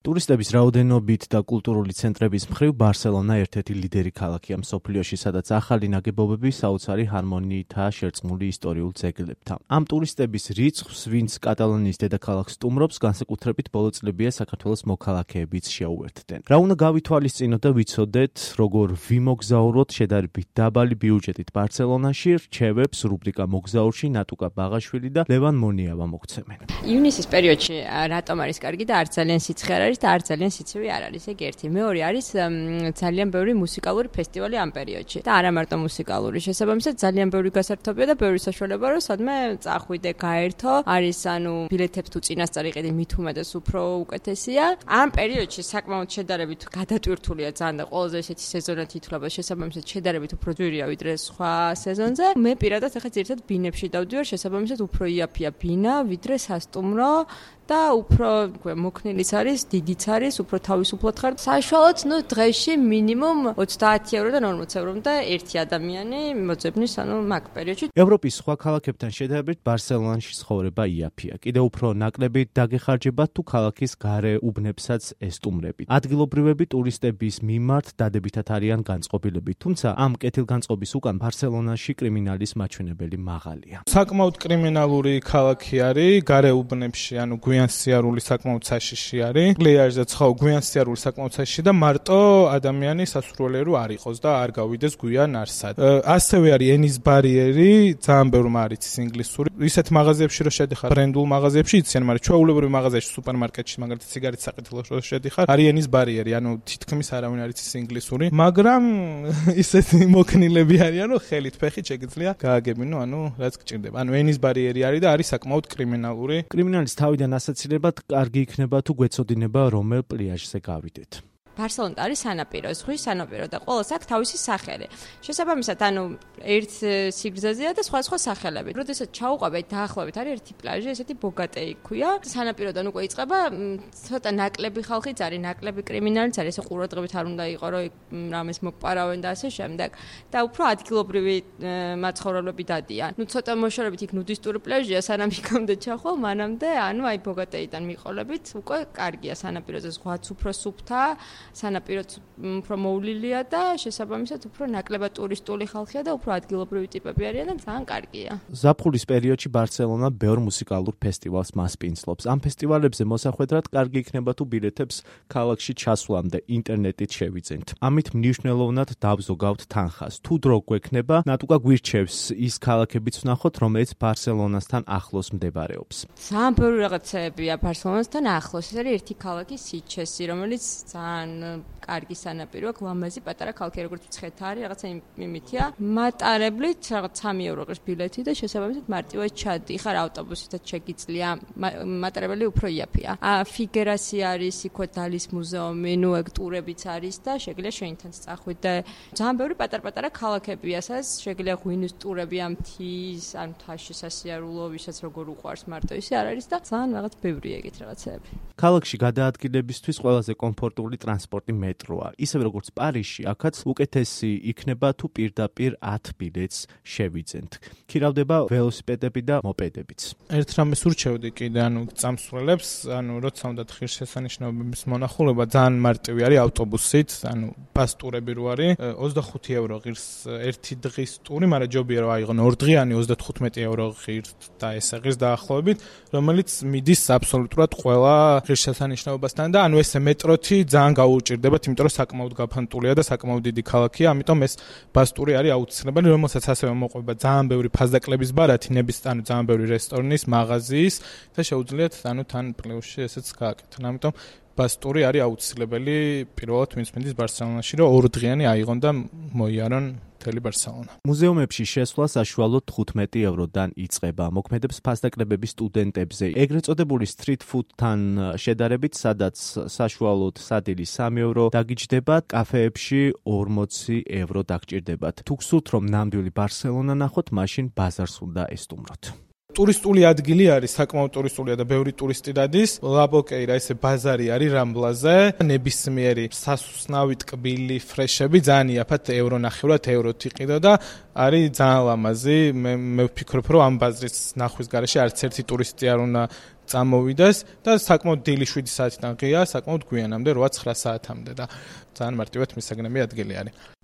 ტურისტების რაოდენობით და კულტურული ცენტრების მხრივ ბარსელონა ერთ-ერთი ლიდერი ქალაქია მსოფლიოში, სადაც ახალი ნაგებობები საოცარი ჰარმონიითაა შერწყმული ისტორიულ ძეგლებთან. Ამ ტურისტების რიცხვს, ვინც კატალონიის დედაქალაქს სტუმრობს, განსაკუთრებით ბოლო წლებია საქართველოს მოქალაქეებიც შეუერთდნენ. რა უნდა გავითვალისწინოთ და ვიცოდეთ, როგორ ვიმოგზაუროთ შედარებით დაბალი ბიუჯეტით ბარსელონაში, რჩევებს რუბრიკა მოგზაურში ნატუკა ბაღაშვილი და ლევან მონიავა მოგცემენ. ივნისის პერიოდში რატომ არის კარგი და არც ძალიან სიცხე არის და არც ძალიან სიცივი არ არის, ეგ ერთი. მეორე არის ძალიან ბევრი მუსიკალური ფესტივალი ამ პერიოდში და არა მარტო მუსიკალური, შესაბამისად ძალიან ბევრი გასართობია და ბევრი საშუალება რომ სადმე წახვიდე, გაერთო, არის ბილეთებს თუ წინასწარ იყიდი, მით უმეტეს უფრო უკეთესია. ამ პერიოდში საკმაოდ შედარებით გადატვირთულია ძალიან და ყველაზე ესეთი სეზონად ითვლება, შესაბამისად შედარებით უფრო ძვირია ვიდრე სხვა სეზონზე. მე პირადად ახლა ძირითადად ბინებში დავდივარ, შესაბამისად უფრო იაფია ბინა, ვიდრე სასტუმრო და უფრო მოქნილიც არის, დიდიც არის, უფრო თავისუფლად ხარ. საშუალოდ, დღეში მინიმუმ 30 ევრო და 40 ევრომდე ერთი ადამიანი მოძებნის, მაგ პერიოდში. ევროპის სხვა ქალაქებთან შედარებით ბარსელონაში ცხოვრება იაფია. კიდევ უფრო ნაკლები დაგეხარჯებათ თუ ქალაქის გარე უბნებსაც ესტუმრებით. ადგილობრივები ტურისტების მიმართ დადებითად არიან განწყობილები, თუმცა ამ კეთილგანწყობის უკან ბარსელონაში კრიმინალის მაჩვენებელი მაღალია. საკმაოდ კრიმინალური ქალაქი არის, გარე უბნებში, გვიან სიარული საკმაოდ საშიში არის. პლეაჟზე ცხოვრ გვიან სიარული საკმაოდ საშიში და მარტო ადამიანი სასურველიერო არ იყოს და არ გავიდეს გვიან არსად. ასევე არის ენის ბარიერი, ძალიან ბევრი მარიცის ინგლისური. ისეთ მაღაზიებში რო შედიხარ, ბრენდულ მაღაზიებში იციან, მაგრამ ჩვეულებრივ მაღაზიაში, სუპერმარკეტში, მაგალითად ციგარეტის საკეთილოში რო შედიხარ, არის ენის ბარიერი, თითქმის არავინ არ იცის ინგლისური, მაგრამ ისეთი მოქნილები არიან, რომ ხელით ფეხით შეგიძლია გააგებინო, რაც გჭირდება. ენის ბარიერი არის და არის საკმაოდ კრიმინალური. კრიმინალის თავიდან ასაცილებლად კარგი იქნება თუ გვეცოდინება რომელ პლეაჟზე გავიდეთ. ბარსელონა არის სანაპირო, ზღვის სანაპირო და ყოველს აქვს თავისი სახელი. შესაბამისად, ერთ სიგრძეზეა და სხვა სახელები. როდესაც ჩაუყვებით, დაახლოებით არის ერთი პლაჟი, ესეთი ბოგატეი ქვია. სანაპიროდან უკვე იწყება ცოტა ნაკლები ხალხიც არის, ნაკლები კრიმინალიც არის, ესე ყურადღებით არ უნდა იყო, რომ რამეს მოგპარავენ და ასე შემდეგ. და უფრო ადგილობრივი მაცხოვრებლები დადიან. ცოტა მოშორებით იქ ნუდისტური პლაჟია, სანამ იქამდე ჩახვალ, მანამდე, აი ბოგატეიდან მიყოლებით, უკვე კარგია სანაპიროზე, ზღვაც უფრო სუფთა. სანაპიროც უფრო მოვლილია და შესაბამისად უფრო ნაკლებად ტურისტული ხალხია და უფრო ადგილობრივი ტიპები არიან და ძალიან კარგია. ზაფხულის პერიოდში ბარსელონა ბევრ მუსიკალურ ფესტივალს მასპინძლობს. ამ ფესტივალებზე მოსახვედრად კარგი იქნება თუ ბილეთებს ქალაქში ჩასვლამდე ინტერნეტით შევიძენთ. ამით მნიშვნელოვნად დავზოგავთ თანხას. თუ დრო გვექნება, ნატუკა გვირჩევს ის ქალაქებიც ვნახოთ, რომელიც ბარსელონასთან ახლოს მდებარეობს. ძალიან ბევრი რაღაცებია ბარსელონასთან ახლოს. ეს არის ერთი ქალაქი სიჩესი, რომელიც ძალიან კარგი სანაპიროა, გლამაზი პატარა ქალაქი, როგორც მცხეთა არის, რაღაცა იმითია. მატარებლით რაღაც 3 ევრო ყრს ბილეთი და შესაბამისად მარტივად ჩადიხარ ავტობუსითაც შეგიძლია. მატარებელი უფრო იაფია. ფიგერასი არის, იქ დალის მუზეუმი, ეგ ტურებიც არის და შეგიძლია შენთან წახვიდე. ძალიან ბევრი პატარ-პატარა ქალაქებია, სადაც შეგიძლია ღვინის ტურები ამ მთის, ან მთაში სასიარულო, ვისაც როგორ უყვარს მარტო ისე არ არის და ძალიან რაღაც ბევრია ეგეთ რაღაცები. ქალაქში გადაადგილებისთვის ყველაზე კომფორტული ტრანსპორტი მეტროა. ისევე როგორც პარიზში, აქაც უკეთესი იქნება თუ პირდაპირ 10 ბილეთს შევიძენთ. ქირავდება ველოსიპედები და მოპედებიც. ერთ რამეს ურჩევდი კიდე, წამსვლელებს, როცა უნდათ ღირსშესანიშნაობების მონახულება, ძალიან მარტივი არის ავტობუსით, ბას ტურები რო არის, 25 ევრო ღირს ერთი დღის ტური, მაგრამ ჯობია რომ აიღონ 2 დღიანი 35 ევრო ღირს და ესე ღირს დაახლოებით, რომელიც მიდის აბსოლუტურად ყველა ღირსშესანიშნაობასთან და ესე მეტროთი ძალიან გაუჭირდებათ, იმიტომ რომ საკმაოდ გაფანტულია და საკმაოდ დიდი ქალაქია, ამიტომ ეს ბასტური არის აუცილებელი, რომელსაც ასევე მოყვება ძალიან ბევრი ფასდაკლების ბარათი, ძალიან ბევრი რესტორნის, მაღაზიის და შეუძლიათ თან პლეუსში ესეც გააკეთონ. ამიტომ ბასტური არის აუცილებელი პირველად ვინც მინდის ბარსელონაში, რომ 2 დღიანი აიღონ და მოიარონ მთელი ბარსელონა. მუზეუმებში შესვლა საშუალოდ 15 ევროდან იწყება. მოქმედებს ფასდაკლებები სტუდენტებზე. ეგრეთ წოდებული street food-თან შედარებით, სადაც საშუალოდ სადილი 3 ევრო დაგიჯდება, კაფეებში 40 ევრო დაგჭირდებათ. თუ გსურთ რომ ნამდვილი ბარსელონა ნახოთ, მაშინ ბაზარს უნდა ესტუმროთ. ტურისტული ადგილი არის, საკმაოდ ტურისტულია და ბევრი ტურისტი დადის. ლაბოკეირა ესე ბაზარი არის რამბლაზე. ნებისმიერი სასუსნავი ტკბილი ფრეშები ძალიან იაფად ევრონახევრად ევროთი ყიდო და არის ძალიან ლამაზი. მე ვფიქრობ, რომ ამ ბაზრის ნახვის გარეშე არც ერთი ტურისტი არ უნდა წამოვიდეს და საკმაოდ დილი 7 საათიდან ღია, საკმაოდ გვიანამდე 8-9 საათამდე და ძალიან მარტივად მისაგნები ადგილი არის.